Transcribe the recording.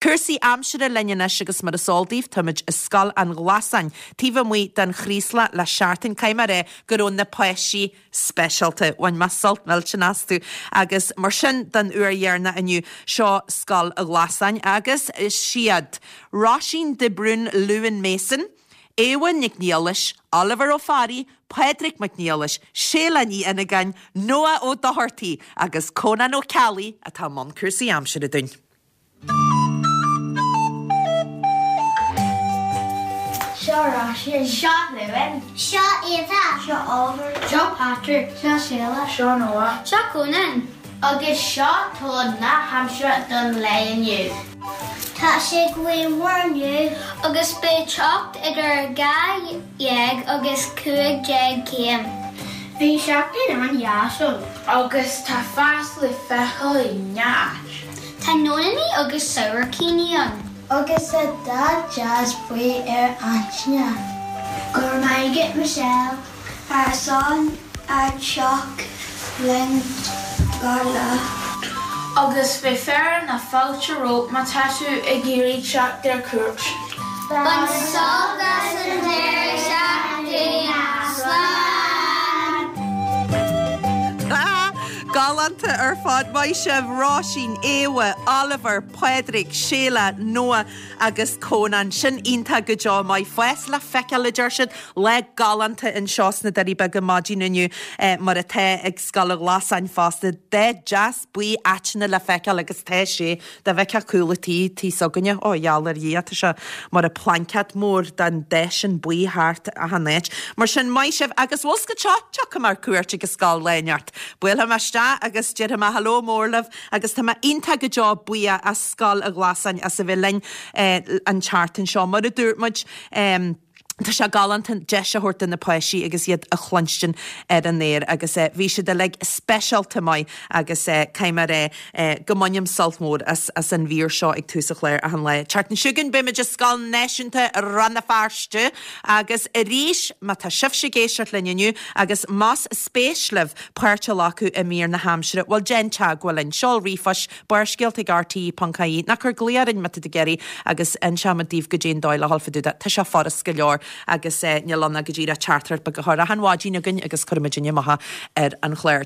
Cúrsaí aimsire linn anois agus mar is eol daoibh táimid i Scoil an Ghlasáin taobh amuigh den Chraoslach le seachtain. Caithfidh mé a rá go raibh na páistí speisialta. Bhain mé sult millteanach astu agus mar sin den uair dheireanach inniu seo Scoil an Ghlasáin agus is iad Róisín de Brún Lewin Mason, Éabha Nic Niallais, Oliver Ó Fearraigh, Pádraig Mac Niallais, Séala Ní Fhinneagáin, Noah Ó Dochartaigh agus Cónán Ó Ceallaigh atá i mbun cúrsaí aimsire dúinn. Seo Róisín. Seo Lewin. Seo Éabha. Seo Oliver. Seo Patrick. Seo Séala. Seo Noah. Seo Cónán. Agus seo tuar na haimsire don lae inniu. Tá sé gaothmhar inniu agus beidh teocht idir 12 agus 15 céim. Bhí seachtain an-dheas ann. Agus tá fás le feiceáil i ngach áit. Tá nóiníní agus sabhaircíní ann. Agus tá dath deas buí ar Antaine. Go raibh maith agat Michelle ar son an teacht linn gach lá. Agus beidh fearadh na fáilte romhat má tá tú ag iarraidh teacht ar cuairt. Bain sult as an deireadh seachtaine. Slán! Galánta ar fad. Maith sibh, Róisín, Éabha, Oliver, Pádraig, Séala, Noah agus Cónán. Sin iontach go deo. Maith. Fás le feiceáil, a deir siad. Lá galánta anseo sna Doirí Beaga maidin inniu, mar atá ag Scoil an Ghlasáin fosta. Dath deas buí aiteanna le feiceáil agus tá sé. Dá bhfeicfeá cúl an tí, tí s'againne, ó, gheall ar Dhia, tá sé mar a plaincéad mór den dath sin buí thart achan áit. Mar sin, maith sibh agus bhfuil 's agat seo, tiocfaidh mé ar cuairt ag an scoil lá inteacht. Buailfidh mé isteach agus déarfaidh mé hello mór libh agus tá mé iontach go deo buíoch as Scoil an Ghlasáin as a bheith linn an tseachtain seo. Mar a dúirt muid, tá sé galánta deis a thabhairt do na páistí agus iad a chluinstin ar an aer agus bhí siad uilig speisialta maith agus caithfidh mé a rá go mbainim sult mór as as an mhír seo ag tús an chláir achan lá. Tseachtain seo chugainn beimid i Scoil Náisiúnta Rann na Feirste agus arís má tá sibhse ag éisteacht linn inniu agus más spéis libh páirt a ghlacadh i mír na haimsire, bhuel déan teagmháil linn. Seol ríomhphost Barrscéalta ag rte ponc ie nó cuir glao orainn má tá tú ag iarraidh agus inseoimid daoibh goidé an dóigh le dhul fá dtaobh de. Tá sé furast go leor agus níl ann ach go díreach teachtaireacht beag a chur achan mhaidin againn agus cuirfimid amach ar an chlár.